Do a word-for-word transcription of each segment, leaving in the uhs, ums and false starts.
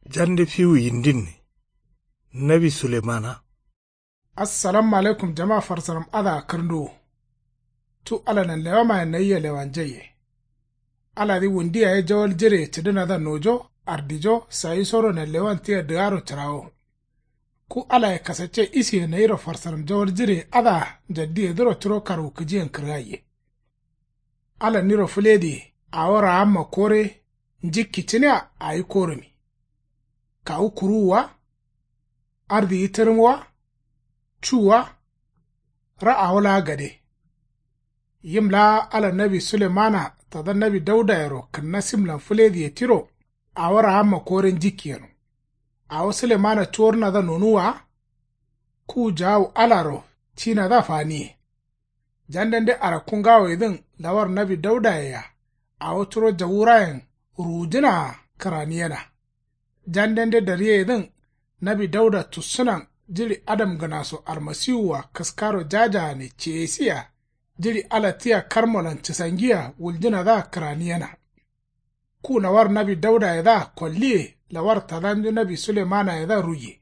Jande fiwu yindin. Nawi sulemana. Assalamu alaikum jama farsaram adǝa kǝrnduwu. Cu ala nanlewamaye nayia lewanjaiye. Aladǝ wundi yaye jawal jireye cǝdǝnadǝa nojo ardijo sayisoro nanlewan tia dǝgaro cǝrawo. Ku alaye kasacce isiye nayiro farsaram jawal jireye adǝa njaddiyedǝro curo karwukǝjiyen kǝrgaiye. Ala niro fǝlediye awo raamma kore njikki cǝnia awi korǝmi. Kawu kuruwu wa? Ardiyi tǝrǝm wa? Cu wa? Ra awo laa gade. Yim laa ala nawi sulemana tada nawi daudayero kǝnna simlan fǝlediye tiro. Awo raamma kore njikki yeno. Awo sulemana cuwornadǝa nonuwwa wa? Ku jaawu alaro cinadǝa faniye. Jandende arakku ngawoyedǝn lawar nawi daudayea awo curo jawurayen ruwujǝnaa kǝraniyena. Jandende dariyeyedǝn nawi dauda tussǝnan jiɍi adamgǝnaso almasiwua kǝskaro jajagane ceyesiya jiɍi ala tia karmolan cǝsangiya wuljǝnadǝa kǝraniyena. Ku lawar nawi daudayedǝa kolliye lawar tadanju nawi sulemanayedǝa ruiye.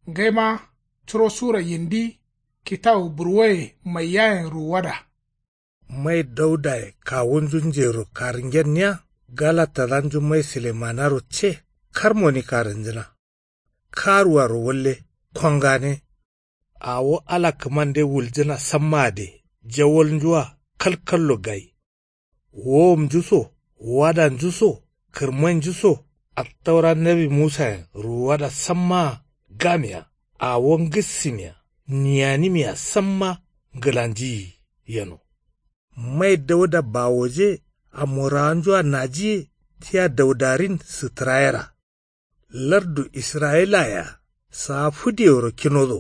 Ngaima curo sura yindi kitawu burwoye maiyayen ruwuwada. Mai daudaye kawunju njero karǝngenniya gala tadanju mai sulemanaro ce karmoni karǝnjǝna. Karuaro walle kongane. Awo ala kǝmande wuljǝna samma gade jawalnjua kalkallo gai. Wowomnju so wadanju so kǝrmainju so attaura nawi musayen ruwuwada sammaa gamea awo ngǝssǝmia niyanimia samma ngǝlanjiyi yeno. Mai dauda bawoje amorawanjua najiye tia daudarin sǝtǝrayera. Lardu israyilayea saa fǝdeworo kinodo.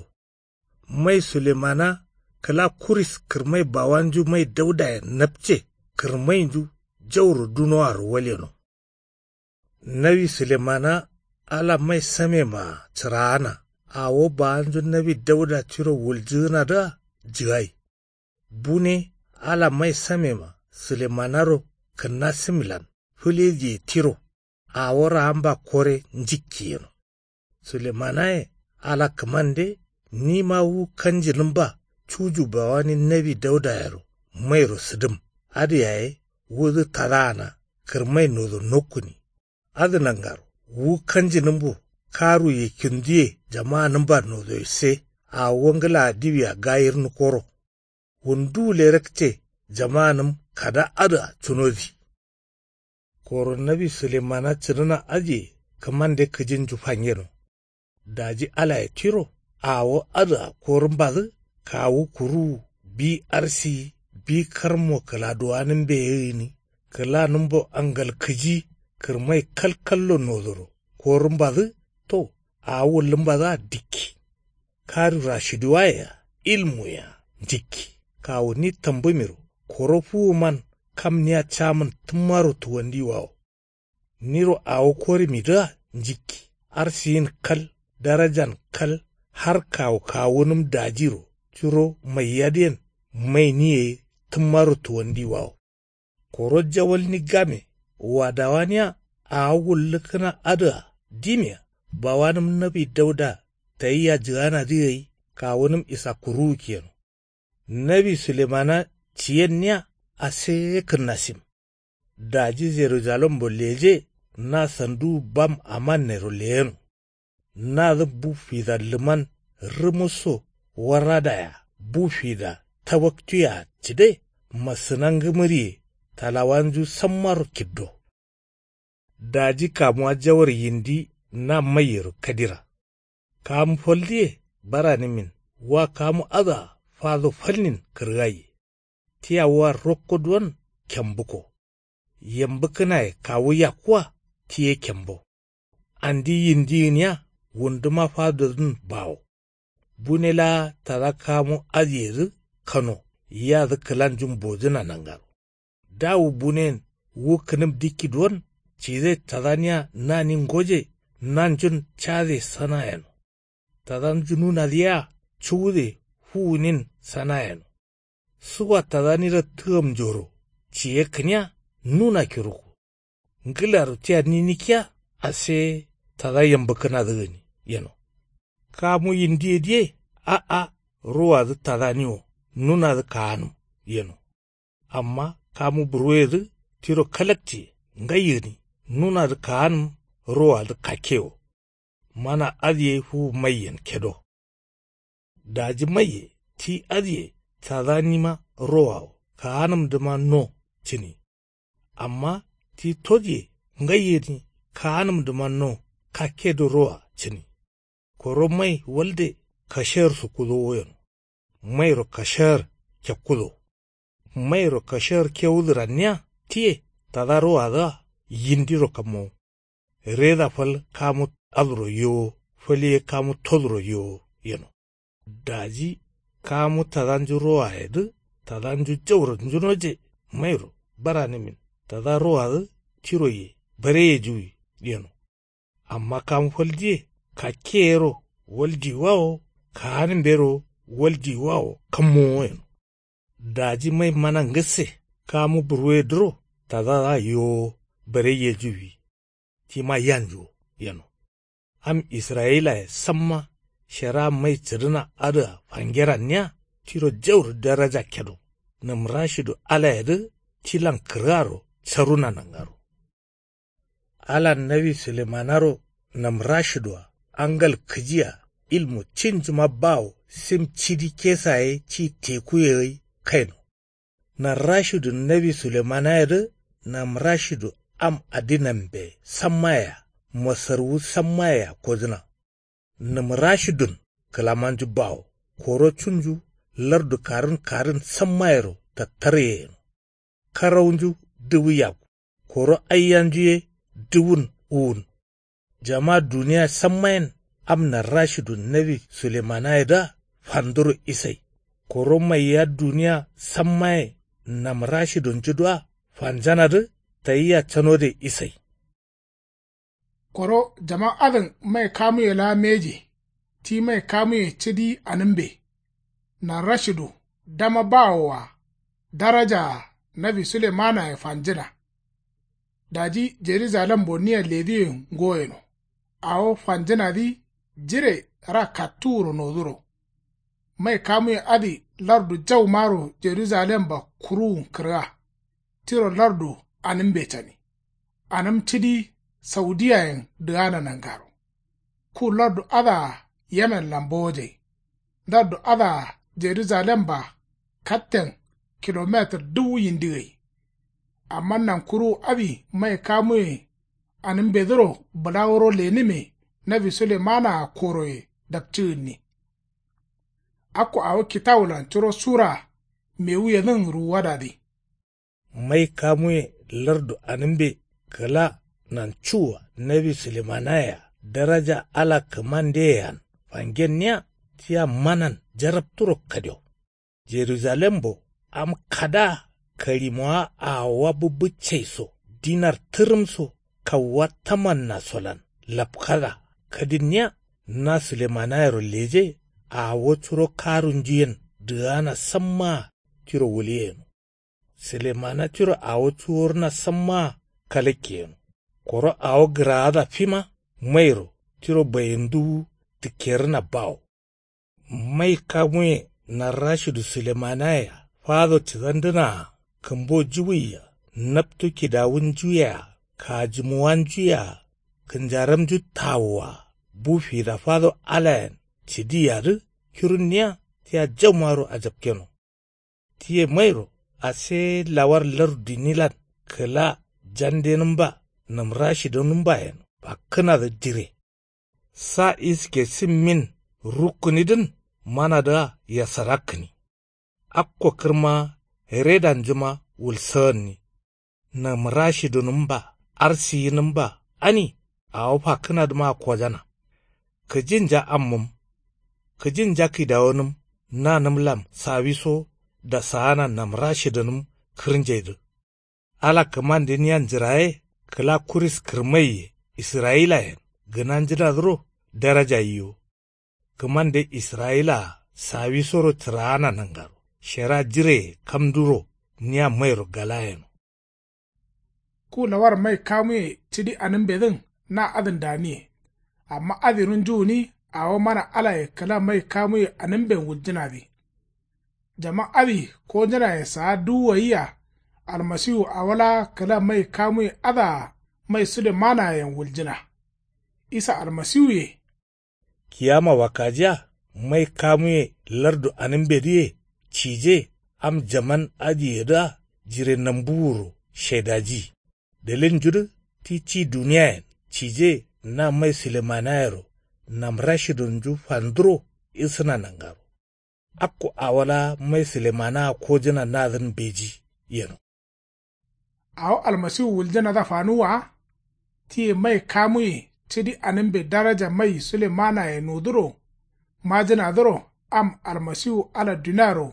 Mai sulemana kǝla kuris kǝrmai bawanju mai daudayen napce kǝrmainju jauro dunoaro waleno. Nawi sulemana ala mai samemaa cǝraana awo bawanju nawi dauda tiro wuljǝgǝnadǝa jǝgai. Bune ala mai samema sulemanaro kǝnna sǝmilan fǝlediye tiro awo raamba kore njikki yeno. Sulemanaye ala kǝmande nima wu kanjinǝmba cuju bawani nawi daudayero mairo sǝdǝm adǝ yaye wudǝ tadaana kǝrmai nodo nokkuni. Adǝ nangaro wu kanjinǝmbo karuye kinduye jamanǝmba nodoye se awo ngǝlaa diwia gayirnǝkoro. Wunduwule rakce jamanǝm kada adǝa cunodi. Koro nawi sulemana cǝdǝna adǝye kǝmande kǝjinju fangeno. Daji alaye tiro awo adǝa korǝmbadǝ kawu kuruwu bi arsiyi bi karmo kǝladuwanǝmbe ye gǝni kǝlanǝmbo angal kǝji kǝrmai kalkallo nodoro korǝmbadǝ to awo wullǝmbadǝa dikki. Karu rashiduwayea ilmuyea njikki kawu ni tambǝmiro koro fuwuman kam nia camǝn tǝmmaro tuwandiwawo. Niro awo korǝmidǝa njikki arsiyin kal darajan kal har kawu kawunǝm dajiro curo maiyadǝyen mainiye ye tǝmmaro tuwandiwawo. Koro jawalni game wadawania awo wullǝkkǝna adǝa dimia bawanǝm nawi dauda tayia jǝganadǝ gai kawunǝm isakkuruwu kiyeno. Nawi sulemana ciyenniya aseye kǝnnasim. Daji jerujalembo leje na sanduwu bam amannero leyeno. Nadǝ bu fida lǝman rǝmǝsso warradaya bu fida tawaktuye-a cǝde masǝna ngǝmǝriye talawanju sammaro kiddo. Daji kamuwa jawar yindi na maiyero kadira. Kamu faldǝye baranǝmin wa kamu adǝa fado falnin kǝrgaiye. Tia wa rokko duwon kembuko. Yembǝkkǝnaye kawu yakkuwa tiye kembo. Andi yindi gǝniya wunduma fadodǝn bawo. Bune laa tada kamu adǝyedǝ kano yadǝ kǝlanjun bojǝna nangaro. Dawu bunen wu kǝnǝm dikki duwon cide tadaniya nani ngoje nanjun cade sana yeno. Tadanju nunadǝ yea cuwude fuwunin sana yeno. Suwa tadaniro tǝgamnjoro ciyekkǝniya nuna kiruku. Ngǝlaro tia ninikkiya ase tada yambǝkkǝnadǝ gǝni yeno. Kamu yindiye diye a'a, rowadǝ tadani wo nunadǝ kaanǝm yeno. Amma kamu burwuyedǝ tiro kalaktiye ngai gǝni nunadǝ kaanǝm rowadǝ kakke wo. Mana adǝ ye fuwu maiyen kedo. Daji maiye ti adǝye tadanima rowawo kaanǝmdǝma no cǝni. Amma ti todǝye ngai gǝni kaanǝmdǝma no kakkedǝ rowa cǝni. Koro mai walde kasher sukkudo woyeno. Mairo kasher kekkudo. Mairo kasher kewudǝ ranniya tiye tada rowadǝa yindiro kammowo. Reda fal kamu aduro yowo fal ye kamu toduro yowo yeno. Daji kamu tadanju rowayedǝ tadanju jauro njunoje mairo baranǝmin tada rowadǝ tiroye bareyejuwi yeno. Amma kamu fal diye kakke yero waldiwa wo kaanǝmbe ro waldiwa wo kammowo yeno. Daji mai mana ngǝsse kamu burwuyedǝro tadadǝa yowo bareyejuwi. Tima yanju wo yeno. Am israyilaye samma shera mai cǝdǝna adǝa fangeranniya tiro jauro daraja kedo. Nǝmrashidu alayedǝ tilan kǝrgaro caruna nangaro. Alan nawi sulemanaro nǝmrashidua angal kǝjia ilmu cinjuma bawo sim cidi kesa ye ci tekuye gai kaino. Nǝmrashidun nawi sulemanayedǝ nǝmrashidu am adinambe sammayea masarwu sammayea kodǝna. Nǝmrashidun kǝlamanju bawo koro cunju lardu karǝn karǝn sammayero tattarye yeno. Karaunju duwu yakku koro aiyanju ye duwun uwun. Jama duniya sammayen am nǝmrashidun nawi sulemanayedǝa fanduro isai. Koro maiya duniya sammaye nǝmrashidunjudǝa fanjanadǝ tayia canode isai. Koro jama adǝn mai kamuye laa mbeji ti mai kamuye cidi anǝmbe. Nǝmrashidu dama bawoa darajaa nawi sulemanaye fanjǝna. Daji jerujalem bonniya lediye ngoyeno. Awo fanjǝnadǝ jire ra kattuwuro noduro. Mai kamuye adǝ lardu jaumaro jerujalemba kuruwun kǝrga. Tiro lardu anǝmbe cani. Anǝm cidi saudiyayen dǝgana nangaro. Ku lardu adǝa yemenlan bowojai. Lardu adǝa jerujalemba katten kilometir duwu yindi gai. Amma nankuruwu adǝ mai kamuye anǝmbedǝro bǝla wuro lenǝme nawi sulemanaa koroye dapci gǝnni. Akko awo kitawulan curo sura mewuyedǝn ruwuwadadǝ. Mai kamuye lardu anǝmbe kǝla nancuwua nawi sulemanayea daraja ala kǝmandeyean fangenniya tia manan jarapturo kadio. Jerujalembo am kadaa kalimowa awowa bǝbbǝccai so dinar tǝrǝm so kauwa tamanna solan lapkada kadinniya na sulemanayero leje. Awo curo karunjuyen dǝgana sammaa tiro wuliyeno. Sulemana tiro awo cuworǝna sammaa kalakkeyeno. Koro awo gǝraada fima mairo tiro bayenduwu tǝkkerǝna bawo. Mai kamuye nǝmrashidu sulemanayea fado cǝgandǝnaa kǝmbo juwuyea naptu kidawunjuyea kajǝmuwanjuyea kǝnjaramju tawua bu fida fado alayen cǝdiyadǝ kirunniya tia jaumaro ajapkeno. Tiye mairo ase lawar lardu dinilan kǝla jandenǝmba nǝmrashidonǝmbayen fakkǝnadǝ dire. Sa iske simmin rukkǝnidǝn manadǝa yasarakkǝni. Akko kǝrma redanjuma wulsagǝnni. Nǝmrashidunǝmba arsiyinǝmba ani awo fakkǝnadǝmaa kojana. Kǝjinja ammǝm kǝjinja kidawonǝm nanǝmlam sawiso dasaana nǝmrashidǝnǝm kǝrnjaidǝ. Ala kǝmande niya njǝraye kǝla kuris kǝrmaiye israyilayen gǝnanjǝnadǝro daraja yiwo. Kǝmande israyilaa sawisoro cǝraana nangaro shera jireye kamduro niya mairo galayeno. Ku lawar mai kamuye cidi anǝmbedǝn na adǝn daniye. Amma adǝ runju gǝni awo mana alaye kǝla mai kamuye anǝmben wuljǝnadǝ. Jaman adǝ kojǝnaye saa duwu gaiya. Almasiwu awo laa kǝla mai kamuye adǝa mai sulemanayen wuljǝna. Isa almasiwuye. Kiyama wakkajiya mai kamuye lardu anǝmbedǝye cije. Am jaman adǝyedǝa jire nambuwuro shaidaji. Dalilnjudǝ ti ci duniyayen cije na mai sulemanayero nam rashidunju fanduro isǝna nangaro. Akko awo laa mai sulemanaa kojǝna nadǝn mbeji yeno. Awo almasiwu wuljǝnadǝa fanuwwa wa. Tiye mai kamuye cidi anǝmbe daraja mai sulemanaye noduro majǝnadǝro am almasiwu ala duniaro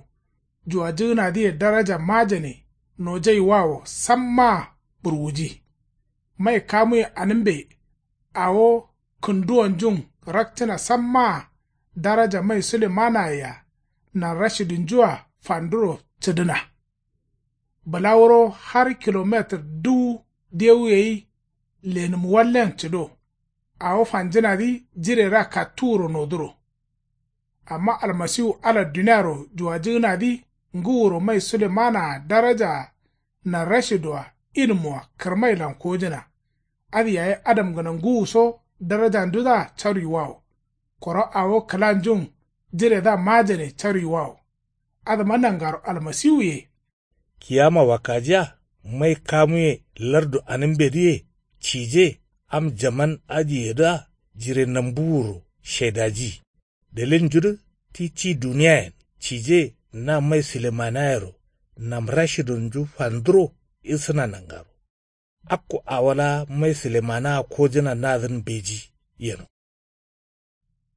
juwajǝgǝnadǝye daraja majane nojaiwawo sammaa burwuji. Mai kamuye anǝmbe awo kǝnduwonjun rakcǝna sammaa daraja mai sulemanayea nanrashidunjua fanduro cǝdǝna. Bǝla wuro har kilometir duwu dewu gai lenǝm wallen cǝdo. Awo fanjǝnadǝ jireraa kattuwuro noduro. Amma almasiwu ala duniaro juwajǝgǝnadǝ ngǝwuro mai sulemanaa darajaa nanrashidoa ilmuwa kǝrmailan kojǝna. Adǝ yaye adamgǝna ngǝwuso darajanjudǝa caruiwawo. Koro awo kǝlanjun jiredǝa majane caruiwawo. Adǝma nangaro almasiwuye. Kiyama wakkajiya mai kamuye lardu anǝmbedǝye cije am jaman adǝyedǝa jire nambuwuro shaidaji. Dalilnjudǝ ti ci duniyayen cije na mai sulemanayero nam rashidunju fanduro isǝna nangaro. Akko awo laa mai sulemanaa kojǝna nadǝn mbeji yeno.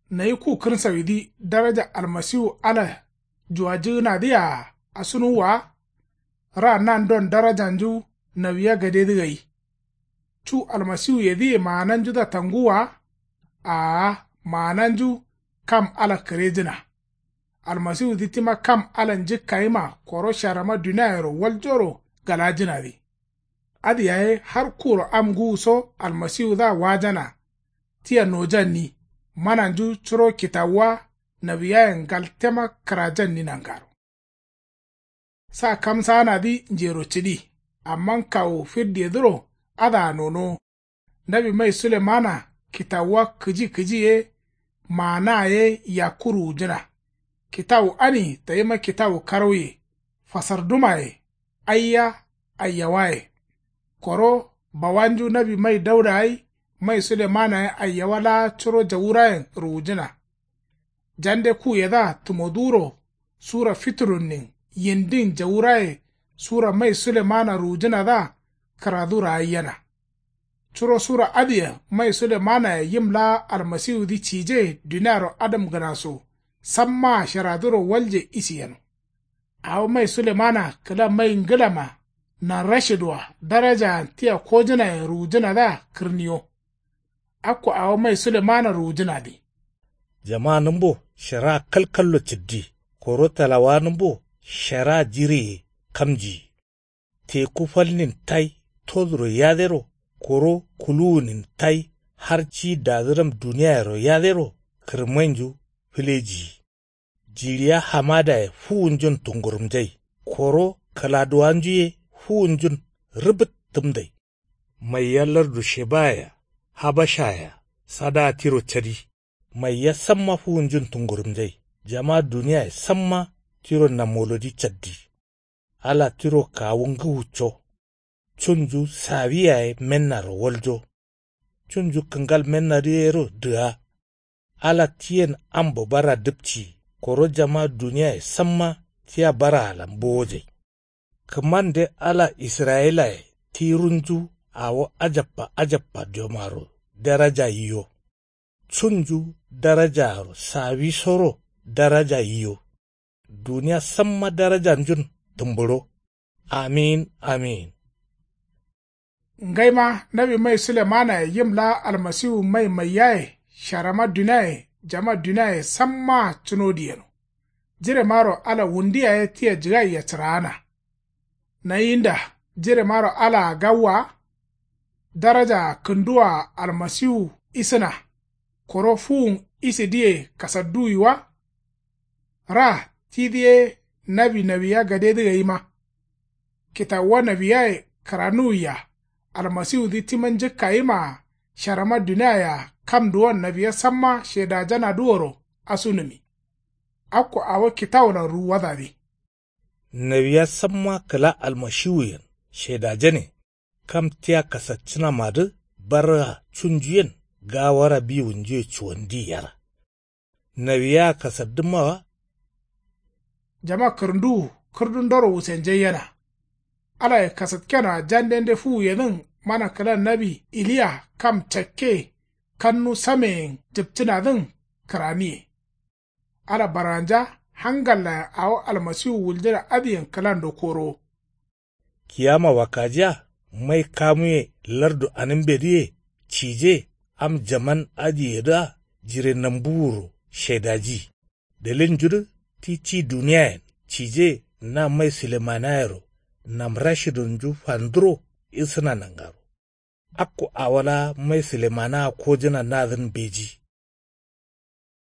Nayi ku kǝrsawidǝ daraja almasiwu ala juwajǝgǝnadǝyea asunuwwa wa. Ra nandon darajanju nawiya gadedǝ gai. Cu almasiwuyedǝye maananjudǝa tanguwwa wa. Aa maananju kam ala kǝrejǝna. Almasiwudǝ tima kam ala njǝkkayima koro sharama duniayero waljoro galajǝnadǝ. Adǝ yaye har kuro am ngǝwuso almasiwudǝa wajana. Tia nojanni mananju curo kitawuwa nawiyayen ngaltema kǝrajanni nangaro. Sa kamsaanadǝ njero cǝdi. Amma kawu firdiyedǝro adǝa nonowo. Nawi mai sulemana kitawuwa kǝji kǝji ye maanaa ye yakku ruwujǝna. Kitawu ani tayima kitawu karauye fasardumaye aiya aiyawaye. Koro bawanju nawi mai dauda gai mai sulemanaye aiyawa laa curo jawurayen ruwujǝna. Jande kuyedǝa tǝmoduwuro sura fiturunnin yindin jawuraye sura mai sulemana ruwujǝnadǝa kǝradu ragaiyena. Curo sura adǝyen mai sulemanaye yim laa almasiwudǝ cije duniaro adamgǝna so sammaa sharaduro walje isi yeno. Awo mai sulemana kǝla mai ngǝlama nanrashidǝa darajaan tia kojǝnayen ruwujǝnadǝa kǝrniyo. Akko awo mai sulemana ruwujǝnadǝ. Jamanǝmbo sharaa kalkallo cǝddi koro talawanǝmbo sharaa jireye kamjiyi. Teku falnin tai toduro yadero koro kuluwunin tai har ci dadǝram duniyayero yadero kǝrmainju fǝlejiyi. Jiɍiya hamadaye fuwunjun tungurumjai koro kǝladuwanju ye fuwunjun rǝbǝt tǝmdai. Maiya lardu shebayea habashayea sadaa tiro cadi. Maiya samma fuwunjun tungurumjai jama duniyaye samma tiro namolodi caddi. Ala tiro kawu ngǝwucco. Cunju sawi yaye mennaro waljo. Cunju kǝngal mennadǝ yero dǝga. Ala tiyen ambo bara dǝpci koro jama duniyaye samma tia baraalan bowojai. Kǝmande ala israyilaye ti runju awo ajabba ajabba jomaro daraja yiyo. Cunju darajaaro sawisoro daraja yiyo. Duniya samma darajanjun tǝmbǝɍo. Amin amin. Ngaima nawi mai sulemanaye yim laa almasiwu mai maiyaye sharama duniaye jama duniaye sammaa cunodǝ yeno. Jiremaro ala wundu yaye tia jǝgaiya cǝraana. Nayinda jiremaro alaa gawwa wa. Darajaa kǝnduwaa almasiwu isǝna. Koro fuwun isidǝye kasadduwi wa. Ra tidǝ ye nawi nawiya gadedǝ gaima. Kitawuwa nawiyaye kǝranuwiya. Almasiwudǝ tima njǝkkayimaa sharama duniaye-a kamduwon nawiya samma shedajanadǝworo asunǝmi. Akko awo kitawulan ruwwadadǝ. Nawiya samma kǝla almashiwuyen shedajane. Kam tia kasaccǝnamadǝ barra cunjuyen gawara biwunjuye cuwandiyi yera. Nawiya kasaddǝmma wa. Jama kǝrǝnduwu kǝrdundoro wusenjaiyena. Alaye kasatkenoa jandende fuwuyedǝn mana kǝla nawi iliya kam cakke kannu sameyen jǝpcǝnadǝn kǝraniye. Ala barganja hangallayen awo almasiwu wuljǝna adǝyen kǝlando korowo. Kiyama wakkajiya mai kamuye lardu anǝmbedǝye cije am jaman adǝyedǝa jire nambuwuro shaidaji. Dalilnjudǝ ti ci duniyayen cije na mai silemanayero namrashidonju fanduro isǝna nangaro. Akko awo laa mai silemanaa kojǝna nadǝn mbeji.